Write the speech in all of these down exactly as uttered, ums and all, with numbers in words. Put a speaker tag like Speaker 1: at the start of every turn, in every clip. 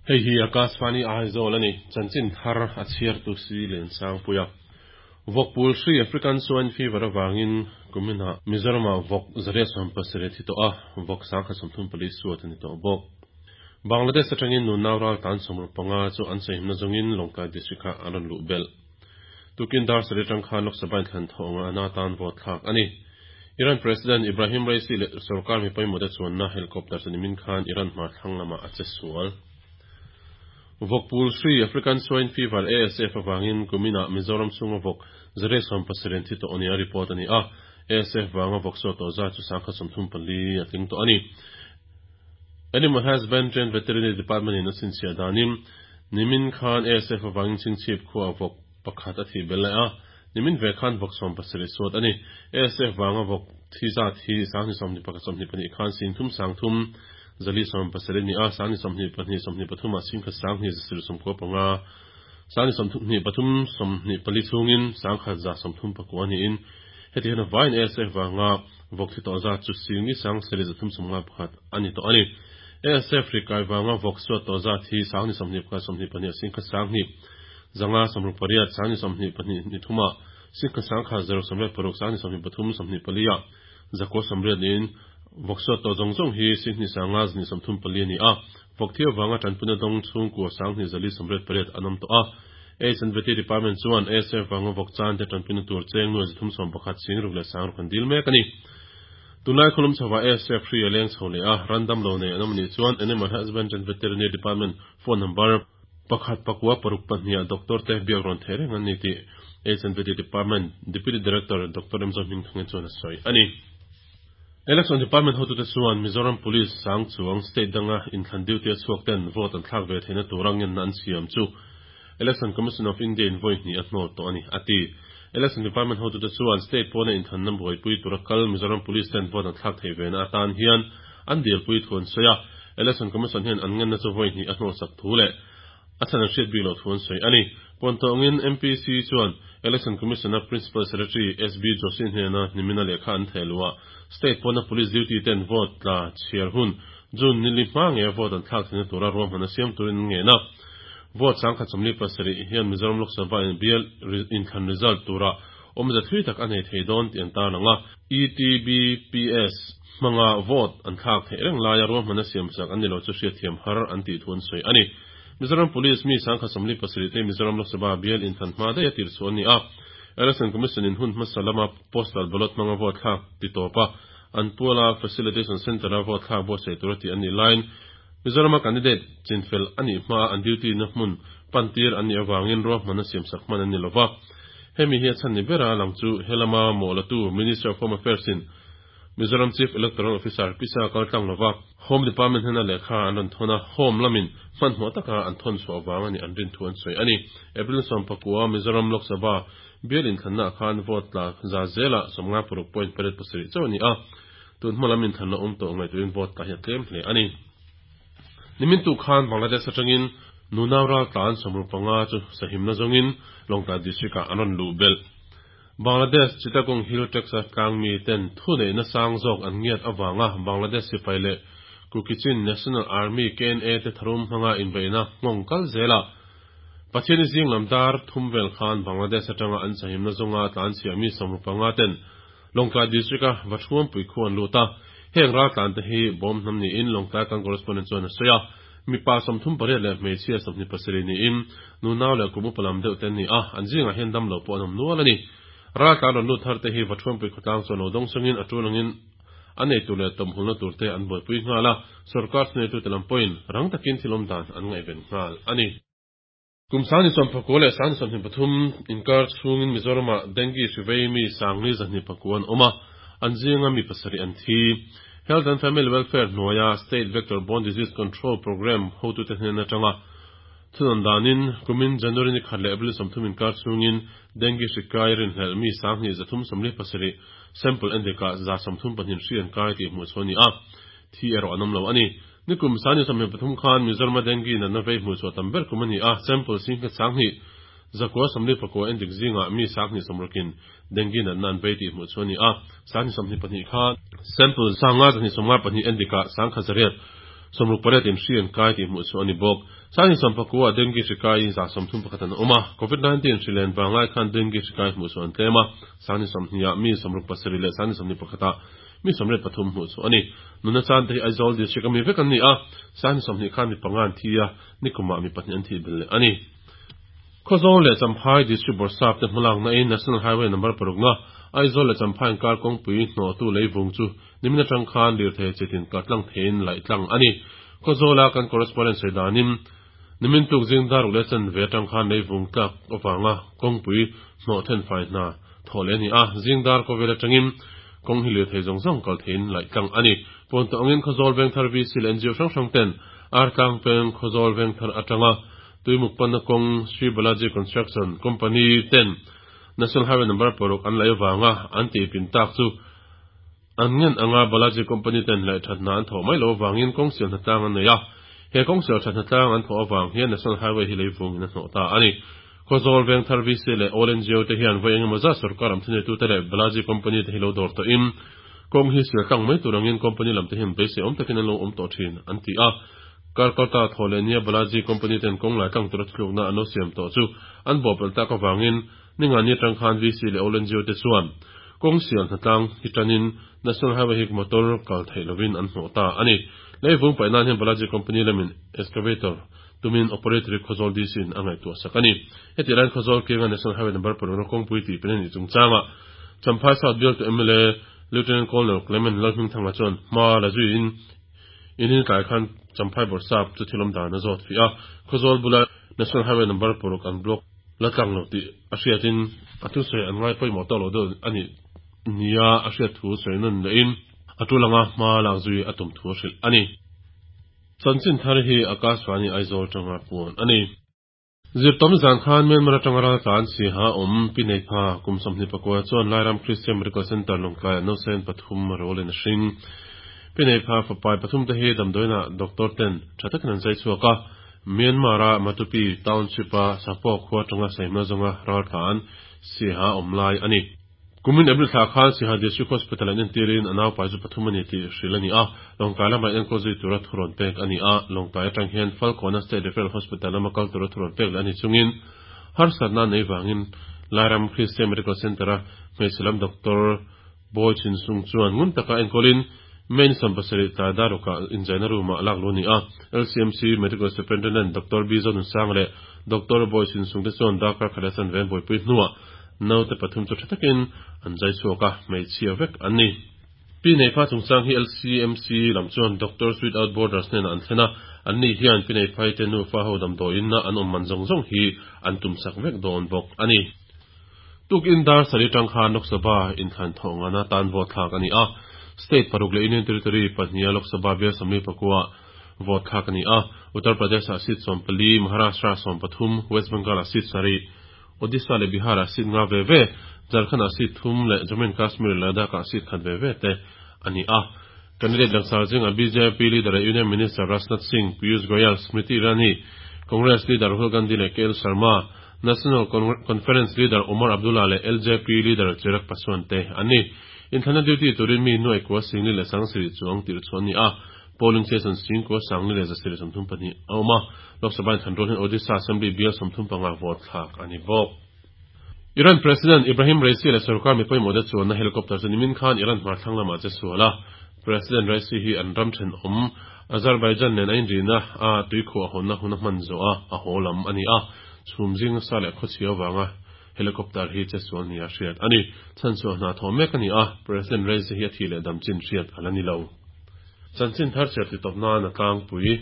Speaker 1: Hei hi Akashvani Aizawl ani chanchin thar a chhiar tu si len sang puia Vawkpul hri African Swine Fever awangin kumina Mizorama vawk zaria sawm pasarih thi tawh a vawk sangkhat sawmthum pali suat ani tawh bawk Bangladesh atangin nunau ral tan sawmruk panga chu an sahimna zawngin Lawngtlai district ah an rawn luh belh tukin dar sarih atang khan Lok Sabha in thlan thawh anga ana tan vote thlak ani Iran President Ibrahim Raisi leh sarkar mi pawimawh te chuanna helicopter chu nimin khan Iran hmar thlang lamah a che sual Vawkpul hri African Swine Fever A S F awangin kumina Mizoram chhunga vawk zaria sawm pasarih thi tawh ania report ani a A S F wanga vawk saw tawh za chu sangkhat sawmthum pali a tling tawh ani Animal Husbandry and Veterinary Department in a chhinchhiah danin nimin khan A S F awangin chhingchhip khuaa vawk pakhat a thi bel lai a nimin ve khan vawk sawm pasarih suat ani A S F wanga vawk thi zat hi sangni sawmhnih pakhat sawmhnih pahnih khan singthum sangthum zali sawm pasarih ni a sangni sawmhnih pahnih sawmhnih pathum ah singkhat sanghnih zasir sawmkua panga sangni sawmhnih pathum sawmhnih pali chungin sangkhat za sawmthum pakua niin heti hian a vain A S F wanga vawk thi tawh zat chu singni sang sarih zathum sawmnga pakhat ani tawh ani A S F rikai wanga vawk suat tawh zat hi sangni sawmhnih pakhat sawmhnih pahnih singkhat sanghnih zanga sawmruk pariat sangni sawmhnih pahnih ni thuma singkhat sangkhat zaruk sawmriat paruk sangni sawmhnih pathum sawmhnih pali ah zakua sawmriat niin vawk suat tawh zawng zawng hi singhnih sanga znih sawmthum pali ani a vawk thi awanga tanpuna dawng chhungkua sanghnih zali sawmriat pariat an awm tawh a H and V T Department chuan A S F wanga vawk chan te tanpuna tur cheng nuai zathum sawm pakhat singruk leh sangruk an dil mek ani tunlai khulum chhowa A S F hri a leng chho leh a random lo nei an awm anih chuan Animal Husbandry and Veterinary Department phone number pakhat pakua paruk pahnih ah doctor te biak rawn thei reng an ni tih H and V T Department Deputy Director Doctor M Zo Hming Thangin chuan a sawi ani Election Department hotute chuan Mizoram Police sang chuang state danga inthlan duty a chhuak ten vote an thlak ve theihna tur a ngenna an siam chu Election Commission of India in vawi hnih a hnawt tawh ani ati Election Department hotute chuan state pawna inthlan na buaipui tura kal Mizoram Police ten vote an thlak thei ve na atan hian an dilpui thu an sawi a Election Commission hian an ngenna chu vawi hnih a hnawt sak thu leh a chan an hriat bik lo thu an sawi ani Pontawngin M P C chuan Election Commission a Principal Secretary S B Joshi hnena nimina lehkha an thehluah state pawna police duty ten vote tla chhiar hun June nili hma nge vote an thlak theihna tura ruahman a siam turin an ngena vote sangkhat sawmli pasarih hian Mizoram Lok Sabha in bial inthlan result tura awmza thui tak a nei thei dawn tih an tar lang a E T B P S hmanga vote an thlak theih reng laia ruahman a siam sak an ni lo chu hriat thiam har an tih thu an sawi ani Mizoram Police mi sangkhat sawmli pasarih te Mizoram Lok Sabha bial inthlan hma daih a tir chu ani a Election Commission in hun hmasa lama postal ballot hmanga vote thlak ti tawpa an puala facilitation center a vote thlak buatsaih tur a tih an nih laiin Mizorama candidate chinfel ani hma an duty na hmun pantir an nih awangin ruahman a siam sak hman an ni lova hemi hi a chhan ni bera lang chu helama mawlatu Minister of Home Affairs in Mizoram Chief Electoral Officer Pisa kaltlang lova Home Department hena lehkha an rawn thawna Home lamin hmanhmawh taka an thawn chhuah awang ani an rin thu an sawi ani April sawm pakua Mizoram Lok Sabha bial inthlanna khan vote tla za zela sawmnga paruk point pariat pasarih chauh ani a tun hma lam inthlanna awm tawh ngaihtuahin vote tla hi a tlem hle ani nimin tu khan Bangladesh atangin nunau ral tlan sawmruk panga chu sahimna zawngin Lawngtlai district ah an rawn luh belh Bangladesh Chittagong Hill Tracts tlang mi ten thu neihna sang zawk an ngiat awanga Bangladesh sipai leh Kukichin National Army K N A te tharum hmanga inbeihna nghawng kal zela Pathian zing lam dar thum vel khan Bangladesh atanga an sahimna zawnga tlan chhiah mi sawmruk panga ten Lawngtlai district a Vathuam pui khu an lut a heng ral tlan te hi bawm hnam niin Lawngtlai kan correspondent chuan a sawi a mipa sawmthum pariat leh hmeichhia sawmhnih pasarih niin nunau leh kum upa lam deuh te an ni a an zingah hian dam lo pawh an awm nual ani ral tlan rawn lut thar te hi Vathuam pui khawtlang chuan lo dawng sangin a tulangin an nei tur leh tawmhulna tur te an buaipui nghal a sarkar thuneitu te lam pawhin rang takin thil awm dan an ngaihven nghal ani Kum sangni sawm pakua leh sangni sawmhnih pathum inkar chhungin Mizorama dengue hri vei mi sangli zahnih pakua an awm a an zinga mi pasarih an thi Health and Family Welfare hnuaia State Vector Borne Disease Control Program hotute hnen atanga thunawn danin kumin January ni khat leh April sawmthum inkar chhungin dengue hri kai rinhlelh mi sanghnih zathum sawmli pasarih sample endika za sawmthum pahnih hri an kai tih hmuh chu ani a thi erawh an awm lo ani nikum sangni sawmhnih pathum khan Mizorama dengue natna vei hmuh chhuah tam ber kum ani a sample singkhat sanghnih zakua sawmli pakua endik zinga mi sanghnih sawmrukin dengue natna an vei tih hmuh chu ani a sangni sawmhnih pahnih khan sample sanga zahnih sawmnga pahnih endika sangkhat zariat Sawmruk pariat in hri an kai tih hmuh chhuah a ni bawk. Sanghnih sawmpakua dengue hri kai za sawmthum pakhat an awm a. Covid nineteen hri len vanglai khan dengue hri kai hmuh chhuah an tlem a. Sanghnih sawmhnih ah mi sawmruk pasarih leh sanghnih sawmhnih pakhat ah mi sawmriat pathum hmuh chhuah a ni. Nunna chan te hi Aizawl district a mi vek an ni a. Sanghnih sawmhnih khan mi panga an thi a, nikumah mi pahnih an thih belh leh a ni. Khawzawl leh Champhai district bawrhsap te hmalakna in National Highway number parukna Aizawl leh Champhai inkar kawngpui hnawhtu leivung chu nimin atang khan lirthei chitin kal tlang theiin laih tlang a ni. Khawzawla kan correspondent sawi danin nimin tuk zing daruk leh chanve atang khan leivung tlak avanga kawngpui hnawh then fai hna thawh leh a ni a, zing dar kawvel atangin kawng hi lirthei zawng zawng kal theiin laih tlang a ni. Pawnto angin Khawzawl Vengthar V C leh N G O hrang hrang ten Artlang peng Khawzawl Vengthar atanga Tuimuk panna kawng Sri Balaji Construction Company ten National Highway number paruk an laih avanga an tihpin tak chu an ngen anga Balaji Company ten laih thatna an thawh mai loh avangin kawng sial hnatlang an nei a. He kawng sial that hnatlang an thawh avang hian National Highway hi leivungin a hnawh ta a ni. Khawzawl Vengthar V C leh All N G O te hian vawi engemaw zat sorkar am thuneitute leh Balaji Company te hi lo dawr tawhin kawng hi sial tlang mai tur angin company lam te hian beisei awm takin an lo awm tawh thin an ti a. Karkalta thaw leh nia Balaji Company ten kawng lai tlang tura thuthlukna an lo siam tawh chu an bawhpelh tak avangin ningani atang khan V C leh All N G O te chuan kawng sial hnatlang hi tanin National Highway hi motor kal theih lovin an hnawh ta a ni. Leivung paih nan hian Balaji Company lamin excavator tumin operator hi Khawzawl D C in a ngaihtuah sak a ni. Heti laiin Khawzawl kianga National Highway number parukna kawngpui tih pen a nih chungchangah Champhai South bialtu M L A Lieutenant Colonel Clement Lalhmingthanga chuan hma la zuiin inin tlai khan Champhai bawrhsap chu thilawm dan a zawt fih a. Khawzawl bula National Highway number paruk an block la tlang lo tih a hriatin a thusawi an ngai pawimawh tawk lo deuh a nih nia a hriat thu sawi nawn lehin a tul anga hma lak zui a tum thu a hrilh a ni. Chanchin thar hi Akashvani Aizawl tanga puan a ni. Zirtawm zan khan Myanmar atanga raltlan siha awm Pi Neipha kum sawmhnih pakua chuan Lairam Christian Medical Center Lawngtlaiah nausen pathum rawlin a hring. Pi Neipha fapai pathum te hi damdawiinah doctor ten tha takin an zai chhuak a. Myanmar-a Matupi Township-a Sapawk khua atanga saihma zawnga raltlan siha awm lai a ni. Kumin April thla khan Siha District Hospital an entirin a naupai chu pathum a ni tih hrilh a ni a. Lawngtlai lamah enkawl zui tura thurawn pek a ni a. Lawngtlai atang hian Falkawna State Referral Hospital lama kal tura thurawn pek leh a ni chungin harsatna nei vangin Lairam Christian Medical Center-a hmeichhe lam Doctor Bawi Chinsung chuan ngun taka enkawlin May ni sawm pasarih tlai darukah inzaina room-ah lak luh a ni a. L C M C Medical Superintendent Doctor B Zonunsang leh Doctor Bawi Chinsung te chuan darkar khat leh chanve an buaipui hnuah naute pathum chu tha takin an zai chhuak a, hmeichhia vek an ni. Pi Neipha chungchang hi L C M C lam chuan Doctors Without Borders hnenah an thlen a, an ni hian Pi Neiphai te nufa ho damdawiin na an awm man zawng zawng hi an tumsak vek dawn bawk a ni. Tukin dar sarih tang khan Lok Sabha inthlan thawh ngana tan vote thlak a ni a. State paruk leh Union Territory pahniha Lok Sabha bial sawmli pakua vote thlak a ni a. Uttar Pradesh-ah seat sawm pali, Maharashtra sawm pathum, West Bengal-ah seat sarih, Odisha leh Bihar-ah seat nga ve ve, Jharkhand-ah seat thum leh Jammu and Kashmir leh Ladakh-ah seat khat ve ve te a ni a. Candidate langsar zingah B J P leader leh Union Minister Rajnath Singh, Piyush Goyal, Smriti Irani, Congress leader Rahul Gandhi leh K L Sharma, National Conference leader Omar Abdullah leh L J P leader Chirag Paswan te an ni. Inthlanna duty turin mi nuai kua singli leh sangsarih chuang tirh chu an ni a. Polling station sing kua sangli leh zasarih sawmthum pahnih a awm a. Lok Sabha inthlan rual hian Odisha Assembly bial sawmthum panga vote thlak a ni bawk. Iran President Ibrahim Raisi leh sarkar mi pawimawh te chuanna helicopter chu nimin khan Iran hmar thlang lamah che sual a. President Raisi hi an ram thenawm Azerbaijan nen a inrina a tuikhuah hawnna hun a hman zawh a, a haw lam a ni a. Chhum zing nasa leh khawchhia avanga helicopter hi che sual ni a hriat a ni. Chhan chhuah hna thawh mek a ni a, President Raisi hi a thih leh dam chin hriat a la ni lo. Chanchin thar chhiar ti tawp nan a tlangpui.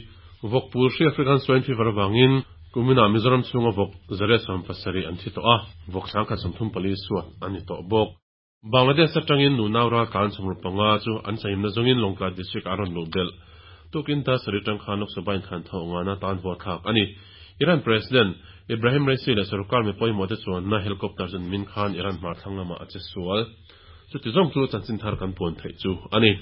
Speaker 1: Vawkpul hri African Swine Fever avangin kuminah Mizoram chhunga vawk zariat sawm pasarih an thi tawh a, vawk sangkhat sawmthum pali suat a ni tawh bawk. Bangladesh atangin nunau raltlan sawmruk panga chu an sahimna zawngin Lawngtlai District a rawn luh belh. Tukin ta sarih tang khan Lok Sabha inthlan thawh ngana tan vote thlak a ni. Iran President Ibrahim Raisi leh sarkar mi pawimawh te chuanna helicopter chu nimin khan Iran hmar thlang lamah a che sual. Chuti zawng chu chanchin thar kan puan theih chu a ni.